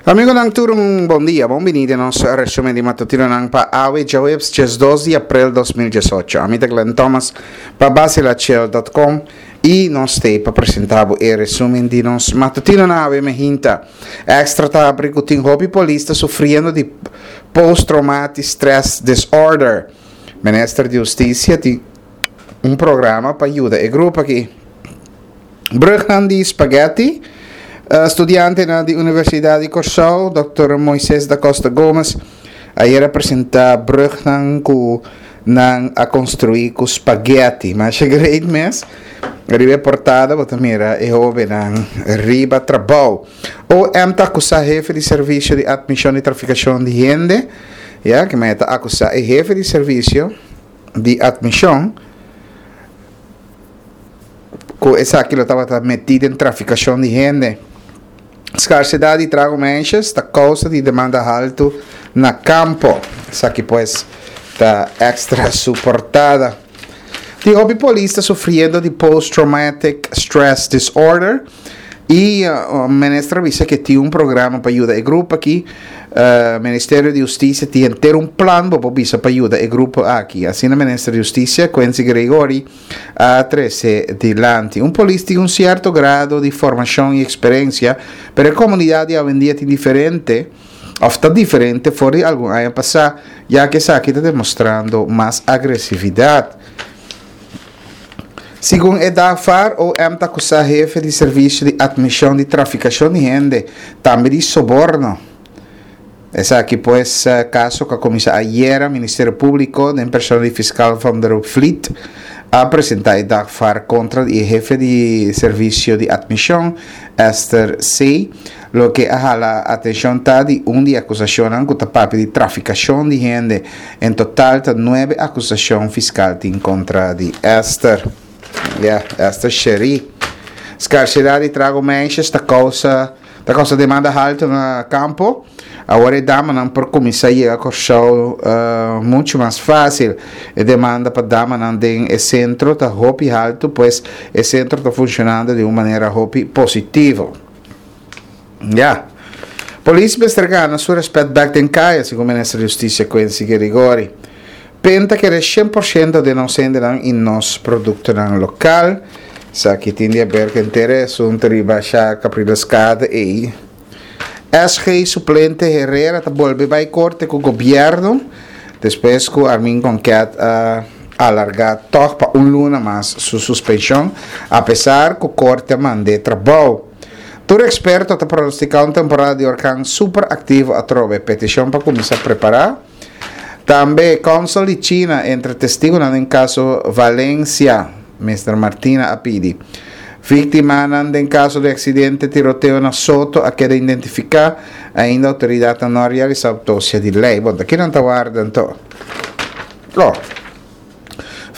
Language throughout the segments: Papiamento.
Amigonan tur un bon dia, bon bini den nos resumen di matutinonan pa awe djaweps 12 di april 2018. Ami ta Glenn Thomas pa basilachel.com y nos stay pa presenta bo e resumen di nos matutinonan awe mehinta. Extra ta habri cu tin hopi polis ta sufriendo di post traumatic stress disorder. Minister di Husticia tin un programa pa yuda e grupo aki. Brugnan di Spaghetti, Studiantenan di Universidat di Kòrsou, Dòkter Moises da Costa Gomez, ayera a presentá brugnan ku nan a konstruí ku spaghetti. Masha great mes. Riba e portada bo ta mira e hóbennan riba trabou. OM ta akusá hefe di servisio di atmishon di trafikashon di hende, ya, ke mei ta akusá e hefe di servisio di atmishon, Ku esaki lo tabata metí den trafikashon di hende. Skarsedat di trago meisjes ta kousa di demanda haltu na kampo. Esaki pues ta Extra su portada. Tin hopi polis ta sufriendo di post traumatic stress disorder i minister a bisa ke tin un programa pa yuda e grupo aki. Ministerio di Hustisia tin henter un plan bo por bisa pa yuda e grupo aki. Asina minister di Hustisia Quincy Gregory a trese dilanti. Un polis tin un sierto grado di formashon i eksperensia, pero e komunidat di awendia tin diferente òf ta diferente for di algun aña pasá, ya ku esaki ta demostrando mas agresividat. Segun e dagvaar, OM ta akusá hefe di servisio di atmishon di trafikashon di hende, tambe di soborno. Esaki pues kaso ku a kuminsá ayera, Ministerio Públiko den persona di fiskal Van der Vliet a presentá e dagvaar kontra di e hefe di servisio di atmishon, Esther C. Loke a hala atenshon ta di un di e akusashonnan ku ta papia di trafikashon di hende. En total ta nuebe akusashon fiskal tin kontra di Esther. Ya, Esther Cherie. Skarsedat di trago meisjes ta kousa. Ta kousa demanda haltu na kampo. Awor e damanan por kuminsá yega Kòrsou muchu mas fásil. E demanda pa damanan den e sentro ta hopi haltu, pues e sentro ta funshonando di un manera hopi positivo. Ya. Polis mester gana su rèspèt bèk den kaya, segun Minister di Hustisia Quincy Girigorie. Pen ta kere 100% den nos hendenan i nos produktonan lokal. Esaki tin di haber ku henter e asuntu riba Sha Caprileskade ei. SG suplente Herrera ta bolbe bai korte ku gobièrnu despues ku Armin Konket a alargá tòg pa un luna mas su suspenshon apesar ku korte a mand'é trabou. Tur eksperto ta pronostiká un temporada di orkan super aktivo atrobe. Petishon pa kuminsá prepará. Tambe Consul di China entre testigonan den caso Valencia, Mister Martina a pidi. Victimanan den caso di accidente tiroteo na Soto a keda identifica, ainda autoridadnan no a realisa autopsia di ley. Bon, ta kinan ta warda anto? Lo.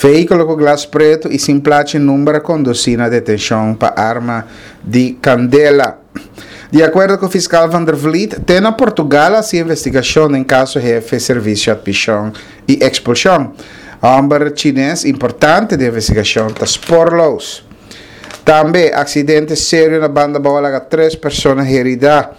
Vehículo cu glas preto y sin plachi number a conduci na detencion pa arma di candela. Di acuerdo cu fiscal Van der Vliet, te na Portugal a haci investigacion den caso hefe servicio admision y expulsion. Homber Chines importante den investigacion ta spoorloos. Tambe, accidente serio na Banda Bou a laga tres persona herida.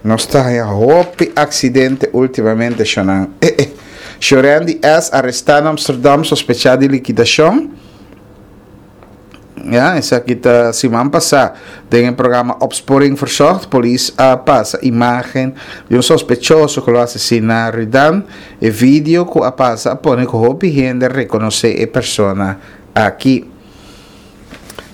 Nos ta haña hopi accidente ultimamente shonan. Eh eh. Shorendi S. arestá na Amsterdam sospechá di liquidacion. Ya, esaki ta siman pasá. Den e programa Opsporing Verzocht, polis a pasa imagen di un sospechoso ku lo asesiná Rudan. E video ku a pasa a pone ku hopi hende rekonosé e persona aki.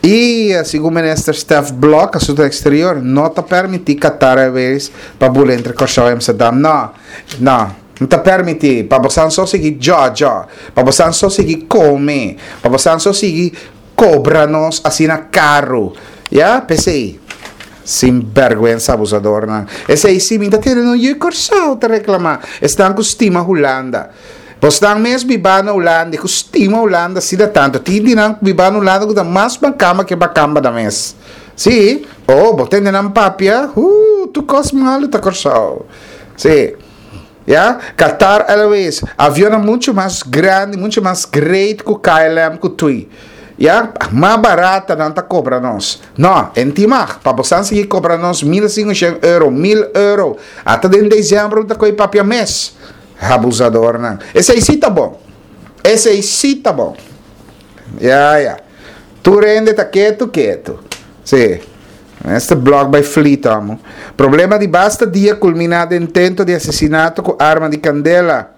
I segun minister Stef Blok, Asunto Exterior, no ta permití Qatar Airways pa bula entre Kòrsou i Amsterdam. No, no, no ta permití. Pa bosan so sigui djòdjò, pa bosan so sigui kome, pa bosan so sigui kobra nos asina karu. Ya, p'esei, sinbèrgwensa abusadornan. Esei si mi ta tene no yu Kòrsou ta reklamá. Esnan ku stima Hulanda. Bosnan mes bibá na Hulanda i ku stima Hulanda asina tantu. Tin di nan ku bibá na Hulanda ku ta mas makamba ke makamba nan mes. Sí, oh, bo tende nan papia, huu, tur kos malu ta Kòrsou. Sí. Ya, Qatar Airways, avionnan muchu mas grandi, muchu mas great ku KLM ku tui. Ya, mas barata nan ta kobra nos. No, en tin mag, pa bosan sigui kobra nos 1500 euro, 1000 euro. Ata den december ta koy papia mes. Abusadornan. Esei sí ta bon. Esei sí ta bon. Ya, ya. Tur hende ta ketu, ketu. Sí. Este blog by Fleet, amo. Problema di basta dia kulminá den intento di asesinato ku arma di kandela.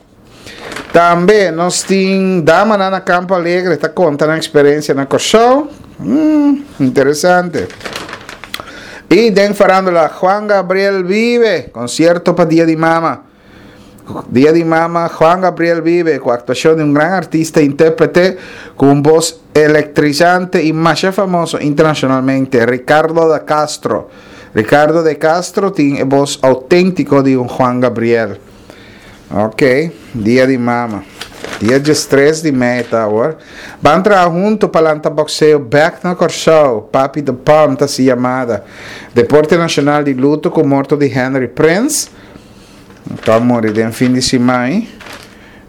Tambe nos tin damanan na Campo Alegre ta konta nan eksperensia na Kòrsou. Mm, interesante. I den farándula Juan Gabriel vive, konsierto pa Dia di Mama. Dia di Mama, Juan Gabriel vive ku aktuashon di un gran artista e intérprete ku un bos elektrizante i masha famoso internashonalmente, Ricardo da Castro. Ricardo de Castro tin e bos outéntiko di un Juan Gabriel. Ok, dia di mama. Dia 13 di mei ta awor. Ban traha hunto pa lanta boxeo bek na Kòrsou. Papi de Palm ta si yamada. Deporte nashonal di luto ku morto di Henry Prince. Ta muri den fin di siman.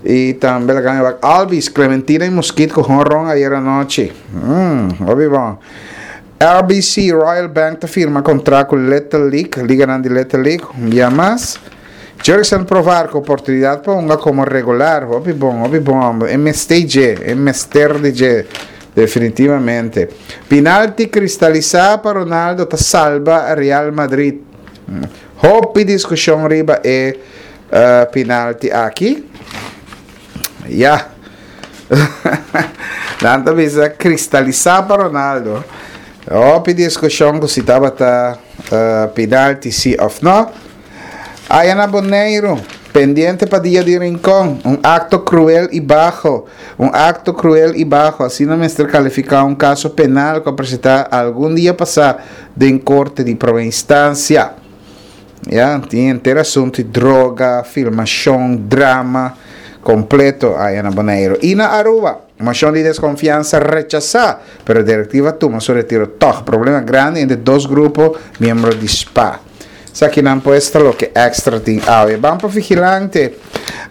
I tambe laga mi wak Albies, Clementina i Muskit ku honron ayer anochi. Mm, hopi bon. RBC Royal Bank ta firma kontrakt ku Little League, liganan di Little League, un bia mas. Jurickson Profar ku oportunidat pa hunga komo regular. Hopi bon, hopi bon homber. E mester dje, e mester di dje, definitivamente. Pinalti kristalisá pa Ronaldo ta salba Real Madrid. Hopi diskushon riba e pinalti aki. Ya. Nan ta bisa kristalisá pa Ronaldo. Hopi diskushon ku si tabata pinalti si òf no. Aya na Boneiru, pendiente pa dia di Rincon, un akto kruel i baho, un akto kruel i baho, asina mester kalifiká un kaso penal ku a presentá algun dia pasá den korte di promé instansia. Ya, tin henter asuntu di droga, filmashon, drama kompleto aya na Boneiru. I na Aruba, moshon di deskonfiansa rechasá, pero direktiva tuma su retiro tòg. Problema grandi entre dos grupo miembro di spa. Esakinan pues ta loke Extra tin awe. Ban pa Vigilante.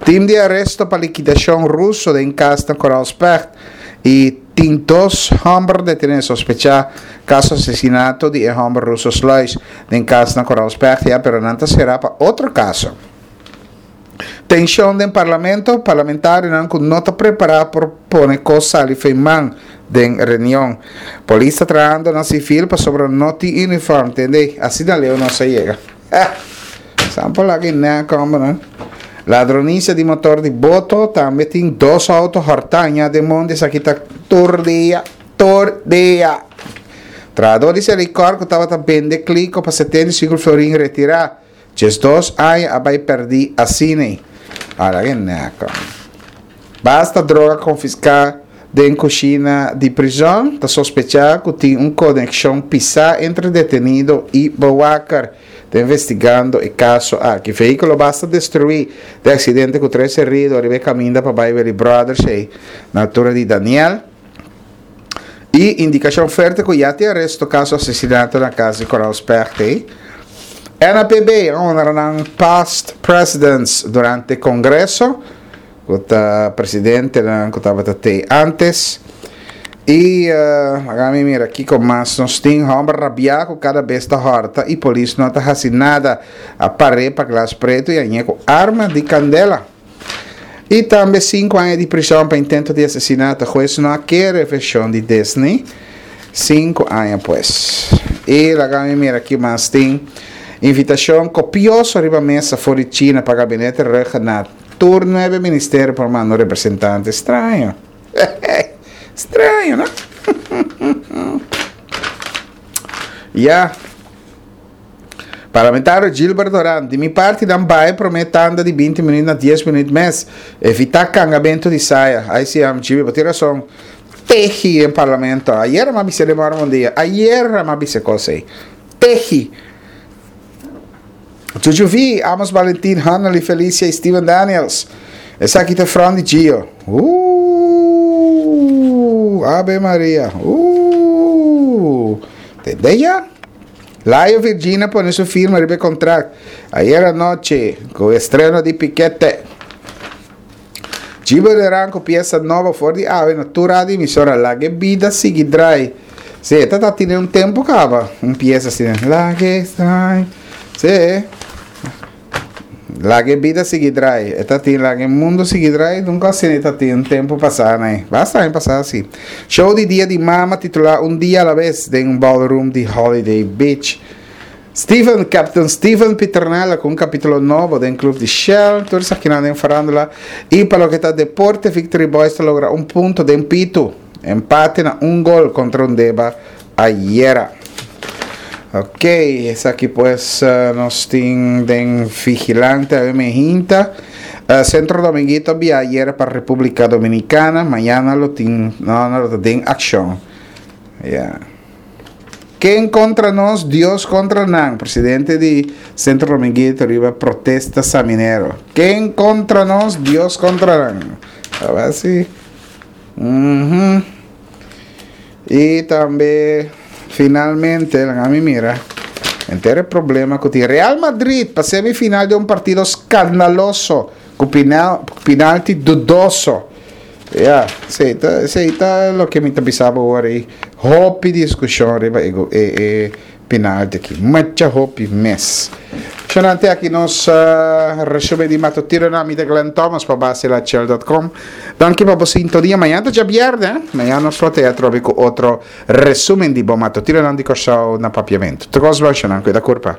Team di aresto pa likidashon ruso den kas na Koraalspecht i tin dos hòmber detené sospechá kaso asesinato di e hòmber ruso Sluis den kas na Koraalspecht ya pero nan ta será pa otro kaso. Tenshon den parlamento, parlamentarionan ku no ta prepará por pone kos sali fei man den reunion. Polis ta trahando na sivil pasobra no tin uniform, tende? Asina leu nos a yega. Eh! San por laga e nek hombernan. Ladronisia di motor di boto, tambe tin dos auto hortá ña den mondi, esaki ta tur dia, tur dia. Trahador di Selikor ku tabata bende kliko pa 75 florin retirá. 12 aña a bai perdí asina. Ala ke nèkò. Basta droga konfiská den kushina di prizòn, ta sospechá ku tin un konekshon pisá entre detenido i bewaker. Ta investigando e kaso aki. Vehíkulo basta destruí den aksidente ku tres herido riba e kaminda pa bai Willy Brothers ei na altura di Daniel. I indikashon fuerte ku ya tin aresto kaso asesinato na kas di Coral Specht ei. NAPB a honra nan past presidents durante kongreso, ku ta presidentenan ku tabata tei antes. I laga mi mira kiko mas nos tin. Hòmber rabiá ku kada bes ta hòrta i polis no ta hasi nada. A par'é pa glas pretu i a ñe ku arma di kandela. I tambe sinku aña di prishon pa intento di asesinato. Hues no a kere vershon di Disney. Sinku aña pues. I laga mi mira ki mas tin. Invitashon kopioso riba mesa for di China pa gabinete Rhuggenaath. Tur nuebe ministerio por manda un representante. Straño. Straño, no? Ya. Parlamentario Gilbert Doran, Di mi parti nan baha e prome tanda di 20 minuut na 10 minuut mes. Evita kangamento di saya. Ai si am Gibi, bo tin rason. Tehi den parlamento. Ayer mi a bisa den Mormon dia. Ayer mi a bisa e kos ei. Tehi. Juju V, Amos Valentin, Hanneli Felicia y Steven Daniels. Esaki ta front di Gio. Ooh, Ave Maria. Ooh. Tende ya? Layo Virgina pone su firma riba e kontrakt ayera nochi ku estreno di Pikete. Gibo Duran ku piesa nobo for di awe na tur radio emisora Lag'e bida sigui drai. Sí, e ta tine un tempu kaba un piesa asina. Lag'e drai. Sí. Lag'e bida sigui drai. E ta tin lag'e mundu sigui drai. Nunka asina e ta tin un tempu pasá nai. Basta aña pasá si. Show di dia di mama titulá Un dia a la bes den ballroom di Holiday Beach. Steven, Captain Steven Pieternella ku un kapítulo nobo den Club di Shell. Tur esakinan den farándula. I pa loke ta deporte, Victory Boys ta logra un punto den pitu. Empate na un gol kontra Undeba ayera. Ok, esaki pues nos tin den Vigilante awe mehinta. Centro Dominguito a bia ayera pa Republica Dominicana. Mañana lo tin, no, no lo ta den akshon. Ya. Ken kontra nos, Dios kontra nan, presidente di Centro Dominguito riba protesta Saminero. Ken kontra nos, Dios kontra nan. A ver si. Mm I tambe finalmente, laga mi mira, enter e problema ku tin Real Madrid pa semifinal di un partido skandaloso ku penalti dudoso. Ya, esei ta, esei ta loke mi ta bisa bo awor ei. Hopi diskushon riba e, e, e penalti aki. Mucha hopi mes. Shonante aki nos uh, resumen di matutinonan. Mi ta Glenn Thomas pa basilachel.com. Danki pa bo sintonia. Mañana ta djabièrnè. Eh? Mañana nos lo te atrobe ku otro resumen di bo matutinonan di Kòrsou na Papiamentu. Tur kos bon, shonnan. Kuida kurpa.